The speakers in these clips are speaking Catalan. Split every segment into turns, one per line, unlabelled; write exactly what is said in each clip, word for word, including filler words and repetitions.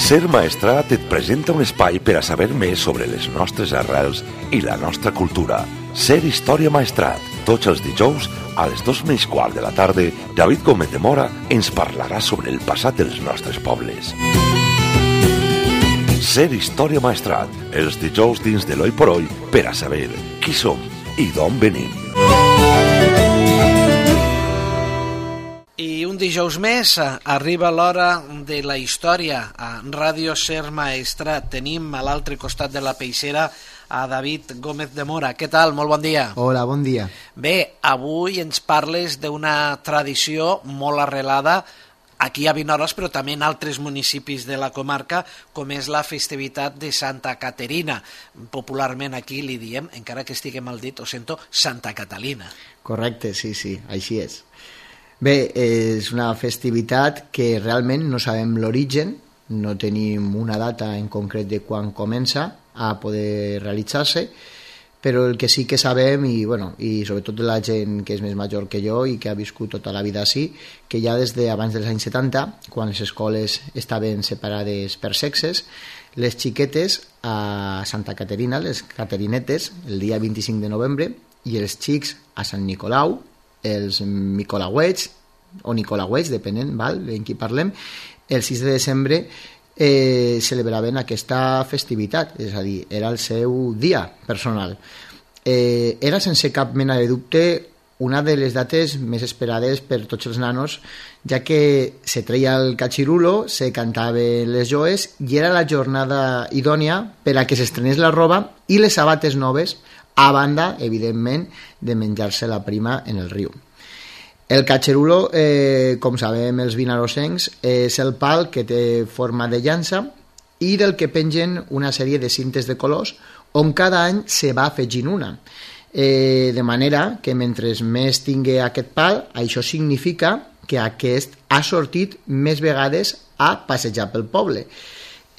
Ser Maestrat et presenta un espai per a saber més sobre les nostres arrels i la nostra cultura. Ser Història Maestrat. Tots els dijous, a les dos menys quart de la tarda, David Gómez de Mora ens parlarà sobre el passat dels nostres pobles. Ser Història Maestrat. Els dijous dins de l'Oi por Oi per a saber qui som i d'on venim.
I un dijous més arriba l'hora de la història. A Ràdio Ser Maestrat tenim a l'altre costat de la peixera a David Gómez de Mora. Què tal? Molt bon dia.
Hola, bon dia.
Bé, avui ens parles d'una tradició molt arrelada aquí a Vinaròs, però també en altres municipis de la comarca, com és la festivitat de Santa Caterina. Popularment aquí li diem, encara que estigui mal dit, ho sento, Santa Catalina.
Correcte, sí, sí, així és. Bé, és una festivitat que realment no sabem l'origen, no tenim una data en concret de quan comença a poder realitzar-se, però el que sí que sabem, i, bueno, i sobretot la gent que és més major que jo i que ha viscut tota la vida així, que ja des d'abans dels anys setanta, quan les escoles estaven separades per sexes, les xiquetes a Santa Caterina, les caterinetes, el dia vint-i-cinc de novembre, i els xics a Sant Nicolau, els Nicolauets, o Nicolauets, depenent, val, en qui parlem, el sis de desembre eh, celebraven aquesta festivitat, és a dir, era el seu dia personal. Eh, era sense cap mena de dubte una de les dates més esperades per tots els nanos, ja que se treia el catxirulo, se cantaven les joes i era la jornada idònia per a que s'estrenés la roba i les sabates noves, a banda, evidentment, de menjar-se la prima en el riu. El catxerulo, eh, com sabem els vinarosencs, és el pal que té forma de llança i del que pengen una sèrie de cintes de colors on cada any se va afegint una. Eh, de manera que mentre més tingui aquest pal, això significa que aquest ha sortit més vegades a passejar pel poble.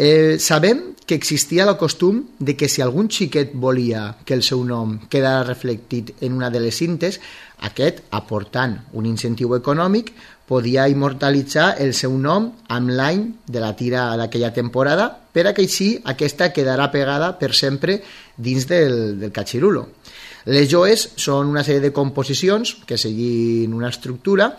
Eh, sabem que existia el costum de que si algun xiquet volia que el seu nom quedara reflectit en una de les cintes, aquest, aportant un incentiu econòmic, podia immortalitzar el seu nom amb l'any de la tira d'aquella temporada per a que així aquesta quedarà pegada per sempre dins del, del catxirulo. Les joes són una sèrie de composicions que seguint una estructura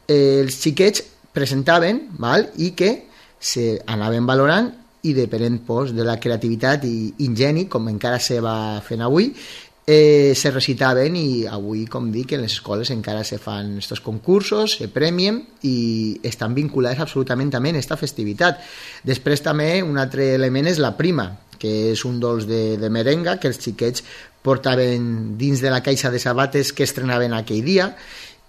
eh, els xiquets presentaven, val, i que se anaven valorant i depenent pues, de la creativitat i ingeni, com encara se va fent avui, eh, se recitaven i avui, com dic, en les escoles encara se fan estos concursos, se premien i estan vinculats absolutament també en aquesta festivitat. Després també un altre element és la prima, que és un dolç de, de merenga que els xiquets portaven dins de la caixa de sabates que estrenaven aquell dia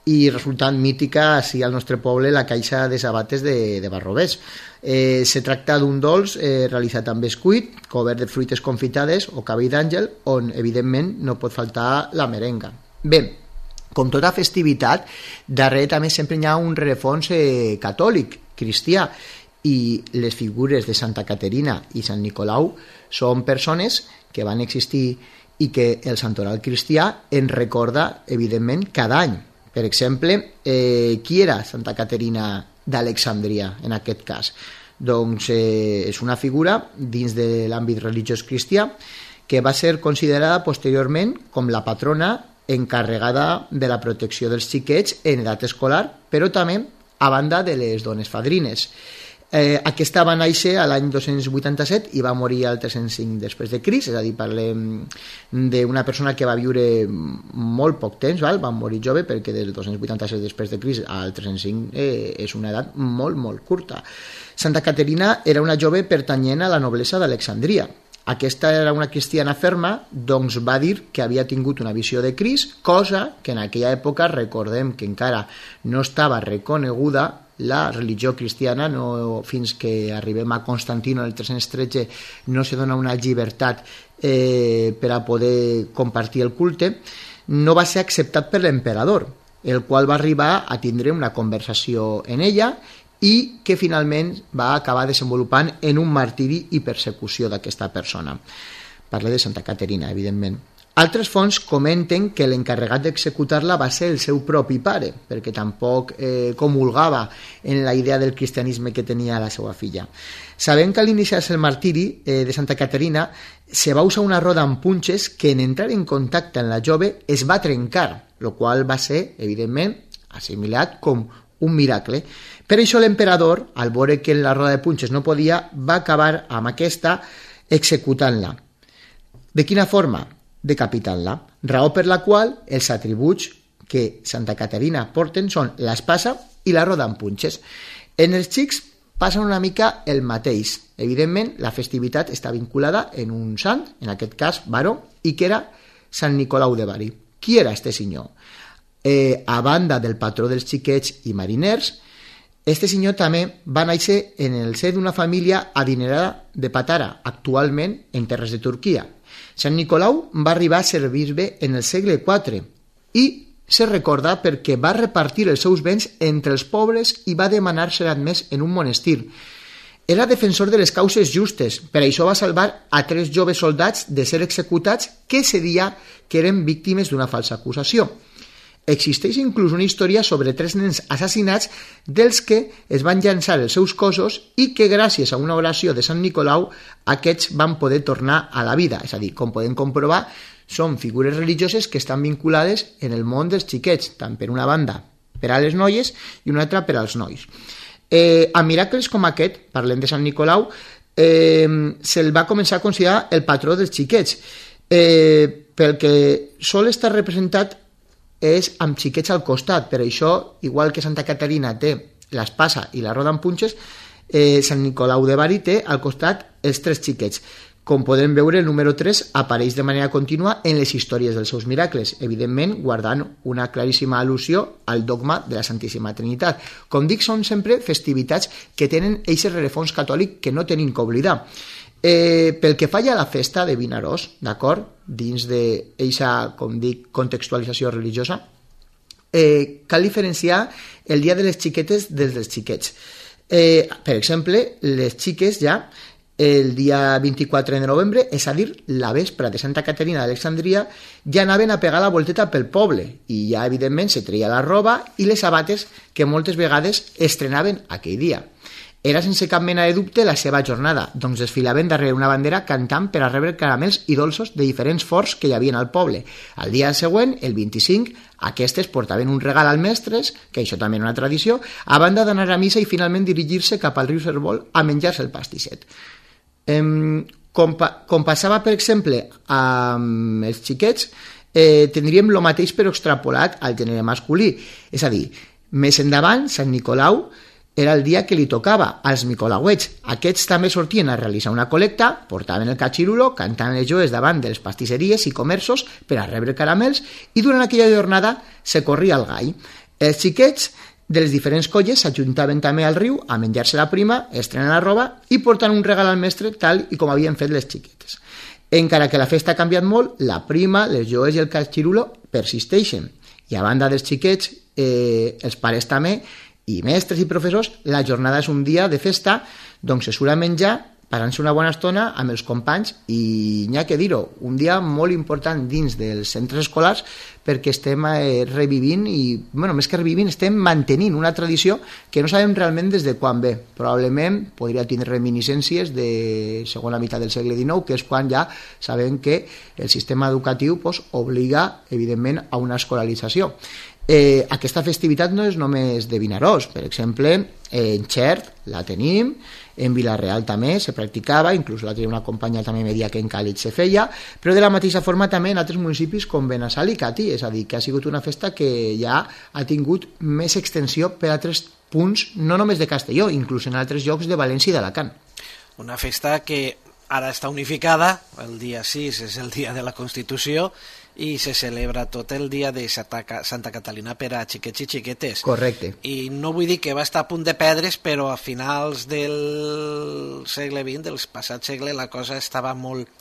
i resultant mítica així al nostre poble la caixa de sabates de, de Barrovers. Eh, se tracta d'un dolç eh, realitzat amb bescuit, cobert de fruites confitades o cabell d'àngel, on evidentment no pot faltar la merenga. Bé, com tota festivitat, darrere també sempre hi ha un rerefons eh, catòlic, cristià, i les figures de Santa Caterina i Sant Nicolau són persones que van existir i que el santoral cristià en recorda, evidentment, cada any. Per exemple, eh, qui era Santa Caterina d'Alexandria en aquest cas? Doncs eh, és una figura dins de l'àmbit religiós cristià que va ser considerada posteriorment com la patrona encarregada de la protecció dels xiquets en edat escolar, però també a banda de les dones fadrines. Eh, aquesta va néixer a l'any dos-cents vuitanta-set i va morir al tres-cents cinc després de Crist, és a dir, parlem d'una persona que va viure molt poc temps, val? Va morir jove perquè del dos-cents vuitanta-set després de Crist al tres-cents cinc eh, és una edat molt, molt curta. Santa Caterina era una jove pertanyent a la noblesa d'Alexandria. Aquesta era una cristiana ferma, doncs va dir que havia tingut una visió de Crist, cosa que en aquella època recordem que encara no estava reconeguda la religió cristiana, no, fins que arribem a Constantino el tres-cents tretze no se dona una llibertat eh, per a poder compartir el culte, no va ser acceptat per l'emperador, el qual va arribar a tindre una conversació en ella i que finalment va acabar desenvolupant en un martiri i persecució d'aquesta persona. Parla de Santa Caterina, evidentment. Altres fonts comenten que l'encarregat d'executar-la va ser el seu propi pare, perquè tampoc eh, comulgava en la idea del cristianisme que tenia la seva filla. Sabem que a l'iniciar-se el martiri eh, de Santa Caterina se va usar una roda amb punxes que en entrar en contacte amb la jove es va trencar, el qual va ser, evidentment, assimilat com un miracle. Per això l'emperador, al veure que la roda de punxes no podia, va acabar amb aquesta executant-la. De quina forma? Decapitant-la, raó per la qual els atributs que Santa Caterina porten són l'espasa i la roda amb punxes. En els xics passa una mica el mateix. Evidentment, la festivitat està vinculada en un sant, en aquest cas baró, i que era Sant Nicolau de Bari. Qui era este senyor? Eh, a banda del patró dels xiquets i mariners, este senyor també va néixer en el ser d'una família adinerada de Patara, actualment en terres de Turquia. Sant Nicolau va arribar a ser bisbe en el segle quatre i se recorda perquè va repartir els seus béns entre els pobres i va demanar ser admès en un monestir. Era defensor de les causes justes, per això va salvar a tres joves soldats de ser executats que se dia que eren víctimes d'una falsa acusació. Existeix inclús una història sobre tres nens assassinats dels que es van llançar els seus cossos i que gràcies a una oració de Sant Nicolau aquests van poder tornar a la vida. És a dir, com podem comprovar, són figures religioses que estan vinculades en el món dels xiquets, tant per una banda per a les noies i una altra per als nois. Eh, a miracles com aquest, parlem de Sant Nicolau, eh, se'l va començar a considerar el patró dels xiquets, eh, pel que sol estar representat és amb xiquets al costat. Per això, igual que Santa Caterina té l'espasa i la roda amb punxes, eh, Sant Nicolau de Bari té al costat els tres xiquets. Com podem veure, el número tres apareix de manera contínua en les històries dels seus miracles, evidentment guardant una claríssima al·lusió al dogma de la Santíssima Trinitat. Com dic, són sempre festivitats que tenen eixe rerefons catòlic que no tenim que oblidar. Eh, pel que fa a la festa de Vinaròs, d'acord, dins d'eixa, com dic, contextualització religiosa, eh, cal diferenciar el dia de les xiquetes dels dels xiquets. Eh, per exemple, les xiques ja el dia vint-i-quatre de novembre, és a dir, la vespra de Santa Caterina d'Alexandria, ja anaven a pegar la volteta pel poble i ja, evidentment, se treia la roba i les sabates que moltes vegades estrenaven aquell dia. Era sense cap mena de dubte la seva jornada, doncs desfilaven darrere una bandera cantant per a rebre caramels i dolços de diferents forts que hi havia al poble. Al dia següent, el vint-i-cinc, aquestes portaven un regal als mestres, que això també era una tradició, a banda d'anar a missa i finalment dirigir-se cap al riu Servol a menjar-se el pastisset. Um, com, pa, com passava, per exemple, amb els xiquets, eh, tindríem el mateix però extrapolat al gènere masculí. És a dir, més endavant, Sant Nicolau era el dia que li tocava als micolauets. Aquests també sortien a realitzar una col·lecta, portaven el catxirulo, cantant les joes davant de les pastisseries i comerços per a rebre caramels i durant aquella jornada se corria el gall. Els xiquets de les diferents colles s'ajuntaven també al riu a menjar-se la prima, estrenar la roba i portant un regal al mestre tal i com havien fet les xiquetes. Encara que la festa ha canviat molt, la prima, les joes i el catxirulo persisteixen. I a banda dels xiquets, eh, els pares també, i mestres i professors, la jornada és un dia de festa, doncs se surt a menjar, passant-se una bona estona amb els companys i n'hi ha que dir-ho, un dia molt important dins dels centres escolars perquè estem eh, revivint i, bueno, més que revivint, estem mantenint una tradició que no sabem realment des de quan ve. Probablement podria tindre reminiscències de segona meitat del segle dinou, que és quan ja sabem que el sistema educatiu pues, obliga, evidentment, a una escolarització. Eh, aquesta festivitat no és només de Vinaròs, per exemple, en Xert la tenim, en Vila-real també se practicava, inclús l'altre dia una companya també me deia que en Càlig se feia, però de la mateixa forma també en altres municipis com Benassal i Catí, és a dir, que ha sigut una festa que ja ha tingut més extensió per a altres punts, no només de Castelló, inclús en altres llocs de València i d'Alacant.
Una festa que ara està unificada, el dia sis és el dia de la Constitució, i se celebra tot el dia de Santa, Santa Catalina per a xiquets i xiquetes.
Correcte.
I no vull dir que va estar a punt de perdre's, però a finals del segle vint, del passat segle, la cosa estava molt,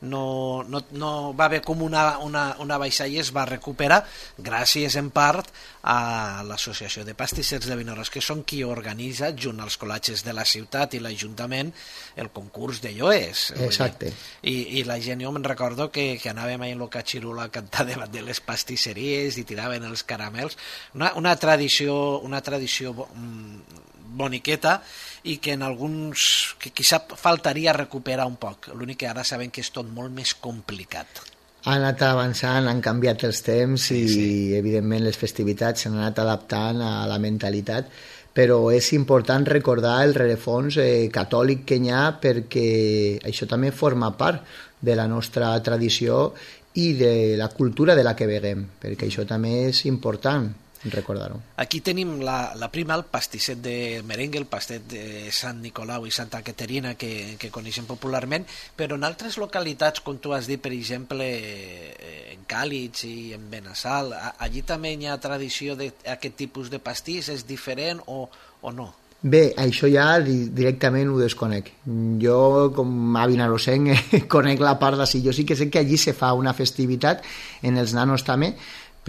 no, no, no va haver com una, una, una baixada i es va recuperar gràcies en part a l'Associació de Pastissers de Vinaròs, que són qui organitza, junt als col·legis de la ciutat i l'Ajuntament, el concurs de lloers.
Exacte.
I, i la gent, jo me'n recordo que, que anàvem ahí en el Catxirula a cantar davant de les pastisseries i tiraven els caramels. Una, una tradició, una tradició boniqueta, i que en alguns, que quizá faltaria recuperar un poc. L'únic que ara sabem que és tot molt més complicat.
Ha anat avançant, han canviat els temps, sí, i sí, evidentment les festivitats s'han anat adaptant a la mentalitat, però és important recordar el rerefons eh, catòlic que hi ha, perquè això també forma part de la nostra tradició i de la cultura de la que veguem, perquè això també és important recordar-ho.
Aquí tenim la, la prima, el pastisset de merengue, el pastet de Sant Nicolau i Santa Caterina, que, que coneixem popularment, però en altres localitats, com tu has dit, per exemple, en Càlig i en Benassal, allí també hi ha tradició d'aquest tipus de pastís, és diferent o, o no?
Bé, això ja directament ho desconec. Jo, com a vinarosenc, conec la part d'ací. Jo sí que sé que allí se fa una festivitat, en els nanos també,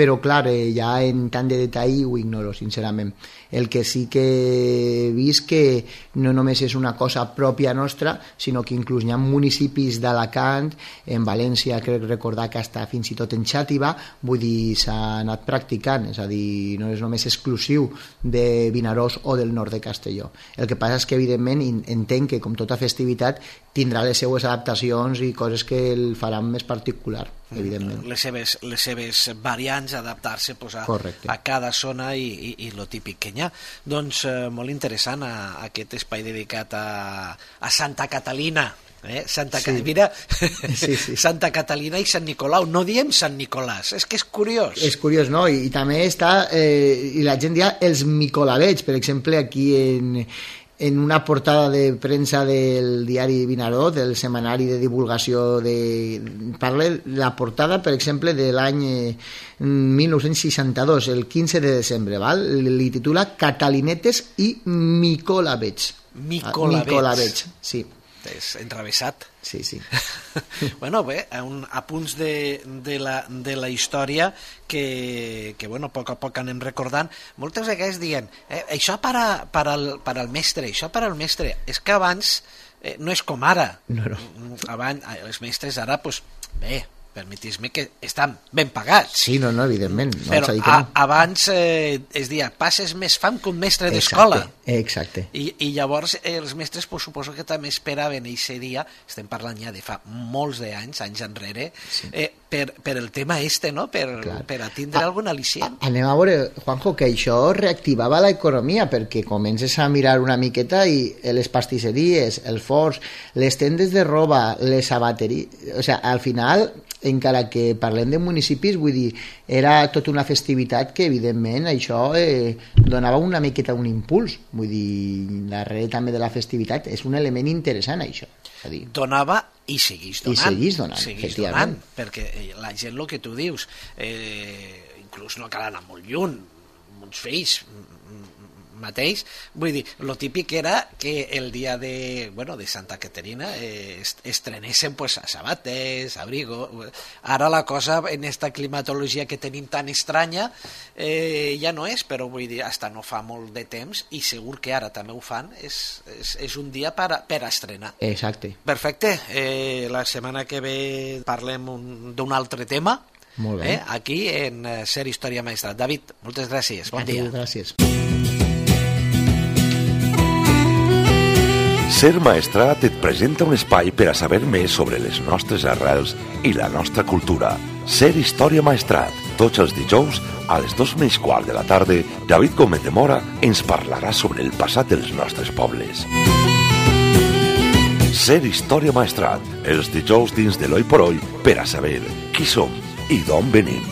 però clar, eh, ja en tant de detall ho ignoro, sincerament. El que sí que he vist que no només és una cosa pròpia nostra, sinó que inclús hi ha municipis d'Alacant, en València crec recordar que està fins i tot en Xàtiva, vull dir, s'ha anat practicant, és a dir, no és només exclusiu de Vinaròs o del nord de Castelló. El que passa és que evidentment entenc que com tota festivitat tindrà les seues adaptacions i coses que el faran més particular, evidentment.
Les seves, les seves variants, adaptar-se pues, a, a cada zona i, i, i lo típic que hi ha. Doncs eh, molt interessant a, a aquest espai dedicat a, a Santa Catalina. Eh? Santa, sí. Mira, sí, sí. Santa Catalina i Sant Nicolau, no diem Sant Nicolàs, és que és curiós.
És curiós, no? I, i també està, eh, i la gent dia els micolavets, per exemple, aquí en... en una portada de premsa del diari Vinaròs, del setmanari de divulgació de... Parla la portada, per exemple, de l'any mil nou-cents seixanta-dos, el quinze de desembre, val? Li titula Catalinetes i Micolavets.
Micolavets.
Micolavets, sí.
És enrevessat.
Sí, sí.
Bueno, bé, un, a punts de, de, la, de la història que, que bueno, a poc a poc anem recordant. Moltes vegades diuen, eh, això per, a, per, al, per al mestre, això per al mestre. És que abans eh, no és com ara.
No, no.
Abans, els mestres ara, pues, bé, permetis-me que estan ben pagats.
Sí, no, no, evidentment. No,
però
no.
A, abans eh, es dia, passes més fam que un mestre d'escola.
Exacte.
I, I llavors eh, els mestres, pues, suposo que també esperaven aquest dia, estem parlant ja de fa molts d'anys, anys enrere, sí. eh, per, per el tema este, no? Per, per a tindre a, algun al·licient.
Anem a veure, Juanjo, que això reactivava l'economia, perquè comences a mirar una miqueta i les pastisseries, els forns, les tendes de roba, les sabateries... O sigui, al final, encara que parlem de municipis, vull dir, era tota una festivitat que, evidentment, això eh, donava una miqueta un impuls. Vull dir, darrere també de la festivitat és un element interessant, això. És a dir,
donava i seguís donant.
I seguís donant, seguís efectivament.
Donant, perquè la gent, el que tu dius, eh, inclús no cal anar molt lluny, uns fills mateix, vull dir, lo típic era que el dia de, bueno, de Santa Caterina eh, estrenessin pues, a sabates, abrigo. Ara la cosa en esta climatologia que tenim tan estranya eh, ja no és, però vull dir, hasta no fa molt de temps i segur que ara també ho fan, és, és, és un dia per a, per a estrenar.
Exacte.
Perfecte, eh, la setmana que ve parlem d'un altre tema.
Molt bé.
Eh, aquí en Ser Història Maestrat. David, moltes gràcies, bon dia.
Gràcies.
Ser Maestrat et presenta un espai per a saber més sobre les nostres arrels i la nostra cultura. Ser Història Maestrat. Tots els dijous, a les dos menys quart de la tarda, David Gómez de Mora ens parlarà sobre el passat dels nostres pobles. Ser Història Maestrat. Els dijous dins de l'Oi por Oi per a saber qui som i d'on venim.